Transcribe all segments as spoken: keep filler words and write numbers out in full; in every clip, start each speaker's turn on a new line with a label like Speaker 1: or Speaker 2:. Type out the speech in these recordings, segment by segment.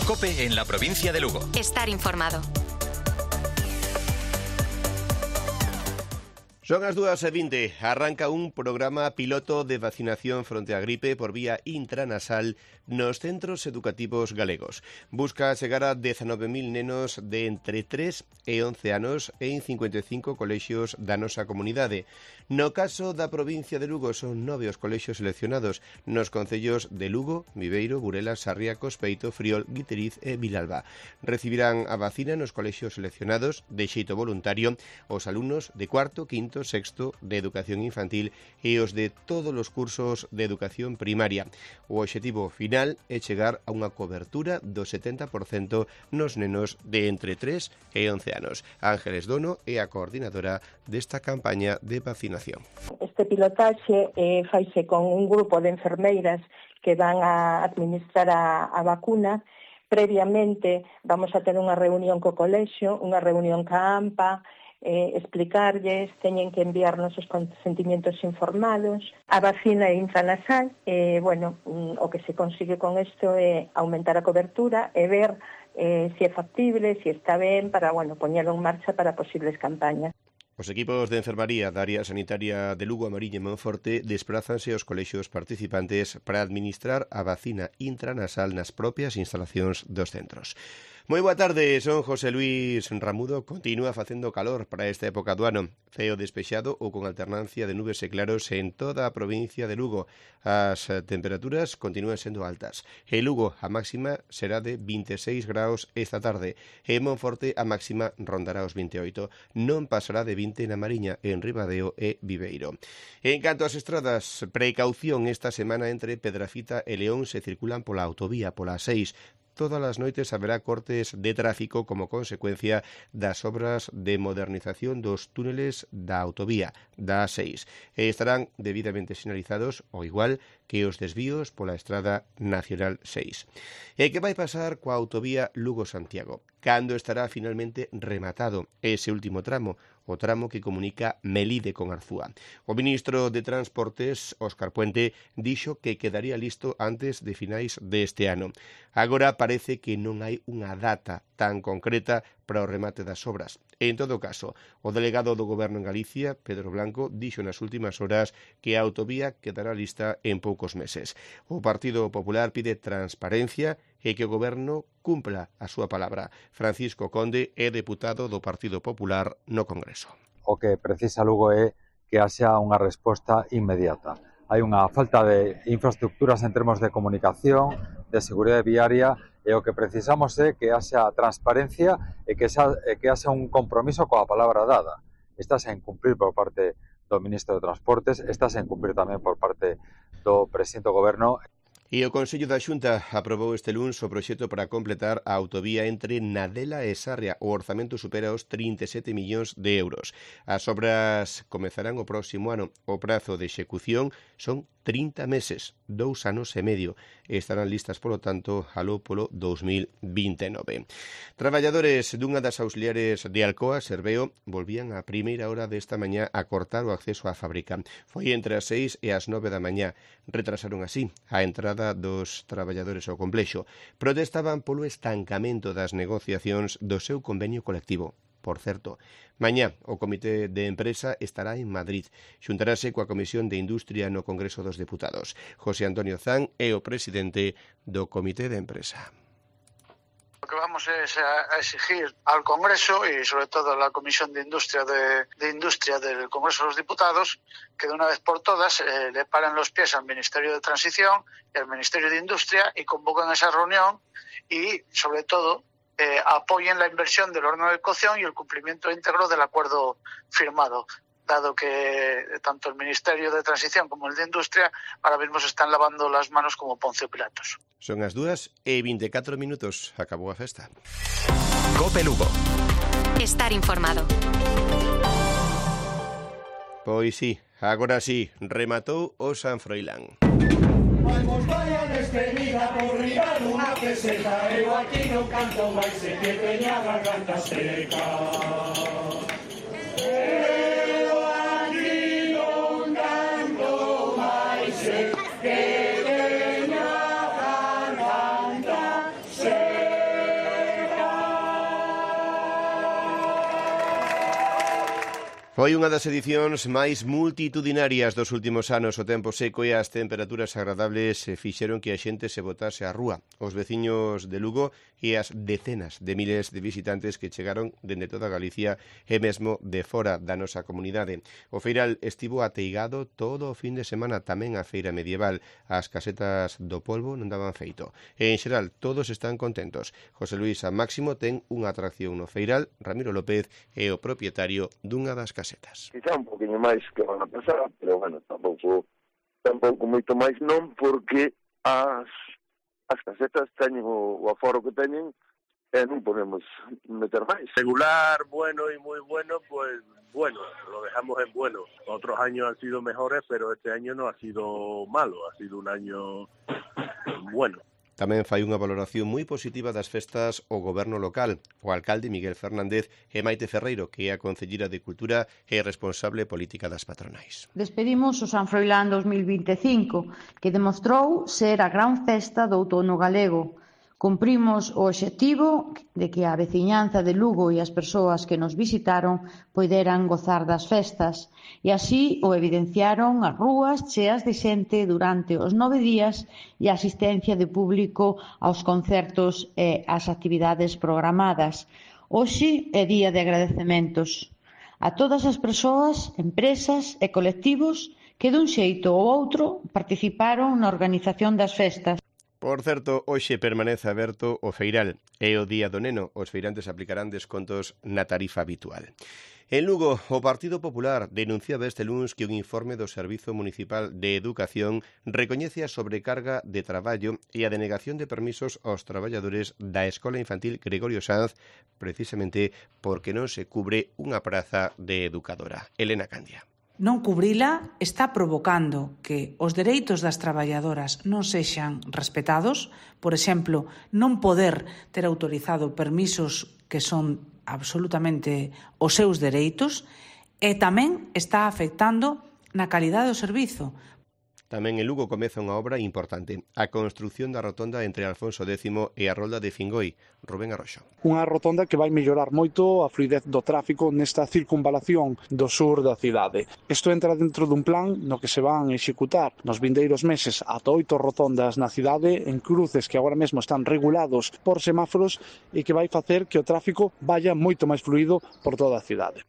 Speaker 1: COPE en la provincia de Lugo.
Speaker 2: Estar informado.
Speaker 3: Son as dúas e vinte. Arranca un programa piloto de vacinación fronte á gripe por vía intranasal nos centros educativos galegos. Busca chegar a dezanove mil nenos de entre tres e once anos en cincuenta e cinco colexios da nosa comunidade. No caso da provincia de Lugo son nove os colexios seleccionados nos concellos de Lugo, Viveiro, Burela, Sarria, Cospeito, Friol, Guiteriz e Vilalba. Recibirán a vacina nos colexios seleccionados de xeito voluntario os alumnos de cuarto, quinto, sexto de educación infantil e os de todos os cursos de educación primaria. O obxectivo final é chegar a unha cobertura do setenta por cento nos nenos de entre tres e once anos. Ángeles Dono é a coordinadora desta campaña de vacinación.
Speaker 4: Este pilotaxe eh, faise con un grupo de enfermeiras que van a administrar a, a vacuna. Previamente vamos a ter unha reunión co colexio, unha reunión ca AMPA, Eh, explicarlles, teñen que enviarnos os consentimientos informados. A vacina é intranasal, eh, bueno, mm, o que se consigue con isto é aumentar a cobertura e ver eh, se é factible, se está ben, para, bueno, poñelo en marcha para posibles campañas.
Speaker 3: Os equipos de enfermaría da área sanitaria de Lugo, Amariña e Monforte desplázanse aos colexios participantes para administrar a vacina intranasal nas propias instalacións dos centros. Moi boa tarde, son José Luis Ramudo. Continúa facendo calor para esta época do ano. Ceo despexado ou con alternancia de nubes e claros en toda a provincia de Lugo. As temperaturas continúan sendo altas. En Lugo a máxima será de vinte e seis graus esta tarde. En Monforte a máxima rondará os vinte e oito. Non pasará de vinte na Mariña, en Ribadeo e Viveiro. En canto ás estradas, precaución esta semana entre Pedrafita e León se circulan pola autovía, pola seis. Todas as noites haberá cortes de tráfico como consecuencia das obras de modernización dos túneles da autovía da A seis. E estarán debidamente sinalizados, ao igual que os desvíos pola Estrada Nacional seis. E que vai pasar coa autovía Lugo-Santiago? Cando estará finalmente rematado ese último tramo, o tramo que comunica Melide con Arzúa. O ministro de Transportes, Óscar Puente, dixo que quedaría listo antes de finais deste ano. Agora parece que non hai unha data tan concreta para o remate das obras. En todo caso, o delegado do Goberno en Galicia, Pedro Blanco, dixo nas últimas horas que a autovía quedará lista en poucos meses. O Partido Popular pide transparencia e que o Goberno cumpla a súa palabra. Francisco Conde é deputado do Partido Popular no Congreso.
Speaker 5: O que precisa Lugo é que haxa unha resposta inmediata. Hai unha falta de infraestructuras en termos de comunicación, de seguridade viaria, e o que precisamos é que haxa transparencia e que haxa, e que haxa un compromiso coa palabra dada. Está sen cumprir por parte do ministro de Transportes, está sen cumprir tamén por parte do presidente do Goberno.
Speaker 3: E o Consello da Xunta aprobou este luns o proxecto para completar a autovía entre Nadela e Sarria. O orzamento supera os trinta e sete millóns de euros. As obras comezarán o próximo ano. O prazo de execución son trinta meses, dous anos e medio. Estarán listas, polo tanto, aló polo dous mil vinte e nove. Traballadores dunha das auxiliares de Alcoa, Serveo, volvían a primeira hora desta mañá a cortar o acceso á fábrica. Foi entre as seis e as nove da mañá. Retrasaron así a entrada dos traballadores ao complexo. Protestaban polo estancamento das negociacións do seu convenio colectivo. Por certo, mañá o Comité de Empresa estará en Madrid. Xuntarase coa Comisión de Industria no Congreso dos Deputados. José Antonio Zan é o presidente do Comité de Empresa.
Speaker 6: Lo que vamos es a exigir al Congreso y sobre todo a la Comisión de Industria de, de Industria del Congreso de los Diputados que de una vez por todas eh, le paren los pies al Ministerio de Transición y al Ministerio de Industria y convoquen esa reunión y sobre todo eh, apoyen la inversión del horno de cocción y el cumplimiento íntegro del acuerdo firmado, dado que tanto el Ministerio de Transición como el de Industria ahora mismo se están lavando las manos como Poncio Pilatos.
Speaker 3: Son as dúas e vinte e catro minutos. Acabou a festa.
Speaker 1: COPE Lugo.
Speaker 2: Estar informado.
Speaker 3: Pois sí, agora sí, rematou o San Froilán.
Speaker 7: Vamos, vaya despedida por riba dunha peseta. Eu aquí non canto máis e que teña a garganta seca. Eu aquí non canto máis e que teña a garganta seca.
Speaker 3: Foi unha das edicións máis multitudinarias dos últimos anos. O tempo seco e as temperaturas agradables fixeron que a xente se botase á rúa. Os veciños de Lugo e as decenas de miles de visitantes que chegaron dende toda Galicia e mesmo de fora da nosa comunidade. O feiral estivo ateigado todo o fin de semana, tamén a feira medieval. As casetas do polvo non daban feito. E, en xeral, todos están contentos. José Luis Máximo ten unha atracción no feiral. Ramiro López é o propietario dunha das casetas.
Speaker 8: Quizá un poquinho máis que van a pasar, pero bueno, tampouco tampouco moito máis non, porque as as casetas teñen o, o aforo que teñen e non podemos meter máis.
Speaker 9: Regular, bueno y muy bueno, pues bueno, lo dejamos en bueno. Otros años han sido mejores, pero este año no ha sido malo, ha sido un año bueno.
Speaker 3: Tamén fai unha valoración moi positiva das festas o goberno local. O alcalde Miguel Fernández e Maite Ferreiro, que é a concellera de Cultura e responsable política das patronais.
Speaker 10: Despedimos o San Froilán dos mil vinte e cinco, que demostrou ser a gran festa do outono galego. Cumprimos o obxectivo de que a veciñanza de Lugo e as persoas que nos visitaron poideran gozar das festas, e así o evidenciaron as rúas cheas de xente durante os nove días e a asistencia de público aos concertos e ás actividades programadas. Hoxe é día de agradecementos a todas as persoas, empresas e colectivos que dun xeito ou outro participaron na organización das festas.
Speaker 3: Por certo, hoxe permanece aberto o feiral e o Día do Neno. Os feirantes aplicarán descontos na tarifa habitual. En Lugo, o Partido Popular denunciaba este luns que un informe do Servizo Municipal de Educación recoñece a sobrecarga de traballo e a denegación de permisos aos traballadores da Escola Infantil Gregorio Sanz, precisamente porque non se cubre unha praza de educadora. Elena Candia.
Speaker 11: Non cubrila está provocando que os dereitos das traballadoras non sexan respetados, por exemplo, non poder ter autorizado permisos que son absolutamente os seus dereitos, e tamén está afectando na calidade do servizo.
Speaker 3: Tamén en Lugo comeza unha obra importante, a construción da rotonda entre Alfonso décimo e a Rolda de Fingoi. Rubén Arroxo.
Speaker 12: Unha rotonda que vai mellorar moito a fluidez do tráfico nesta circunvalación do sur da cidade. Isto entra dentro dun plan no que se van executar nos vindeiros meses ata oito rotondas na cidade en cruces que agora mesmo están regulados por semáforos e que vai facer que o tráfico vaya moito máis fluido por toda a cidade.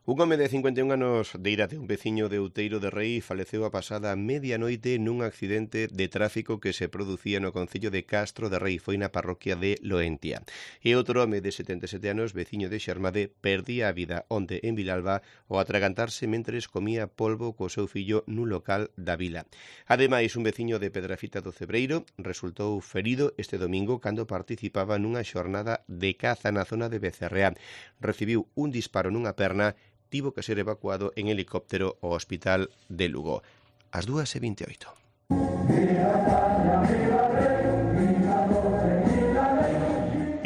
Speaker 3: Un home de cincuenta e un anos de idade, un veciño de Outeiro de Rei, faleceu a pasada medianoite nun accidente de tráfico que se producía no concello de Castro de Rei, foi na parroquia de Loentia. E outro home de setenta e sete anos, veciño de Xermade, perdía a vida onte en Vilalba ao atragantarse mentres comía polvo co seu fillo nun local da vila. Ademais, un veciño de Pedrafita do Cebreiro resultou ferido este domingo cando participaba nunha xornada de caza na zona de Becerreá. Recibiu un disparo nunha perna, tivo que ser evacuado en helicóptero ao hospital de Lugo. As dúas e vinte e oito.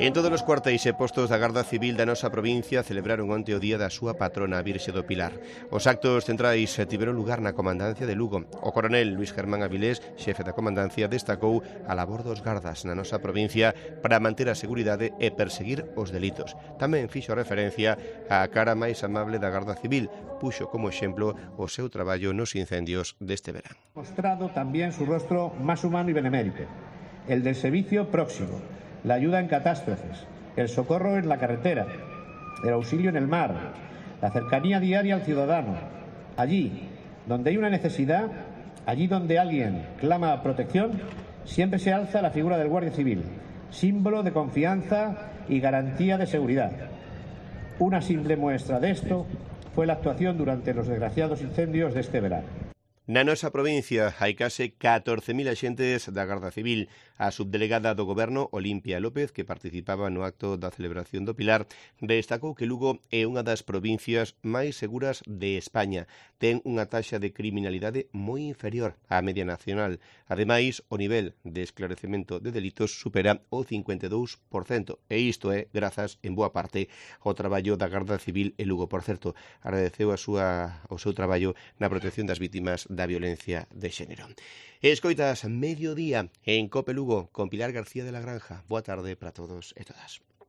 Speaker 3: En todos os cuartéis e postos da Garda Civil da nosa provincia celebraron onte o día da súa patrona, a Virxe do Pilar. Os actos centrais tiveron lugar na comandancia de Lugo. O coronel Luis Germán Avilés, xefe da comandancia, destacou a labor dos gardas na nosa provincia para manter a seguridade e perseguir os delitos. Tamén fixo referencia á cara máis amable da Garda Civil, puxo como exemplo o seu traballo nos incendios deste verán.
Speaker 13: Mostrado tamén su rostro máis humano e benemérito, el del servicio próximo, la ayuda en catástrofes, el socorro en la carretera, el auxilio en el mar, la cercanía diaria al ciudadano. Allí donde hay una necesidad, allí donde alguien clama protección, siempre se alza la figura del Guardia Civil, símbolo de confianza y garantía de seguridad. Una simple muestra de esto fue la actuación durante los desgraciados incendios de este verano.
Speaker 3: Na nosa provincia hai case catorce mil axentes da Garda Civil. A subdelegada do Goberno, Olimpia López, que participaba no acto da celebración do Pilar, destacou que Lugo é unha das provincias máis seguras de España. Ten unha taxa de criminalidade moi inferior á media nacional. Ademais, o nivel de esclarecemento de delitos supera o cincuenta e dous por cento. E isto é grazas, en boa parte, ao traballo da Garda Civil en Lugo. Por certo, agradeceu a súa, o seu traballo na protección das vítimas da violencia de xénero. Escoitas Mediodía en Cope Lugo con Pilar García de la Granja. Boa tarde para todos e todas.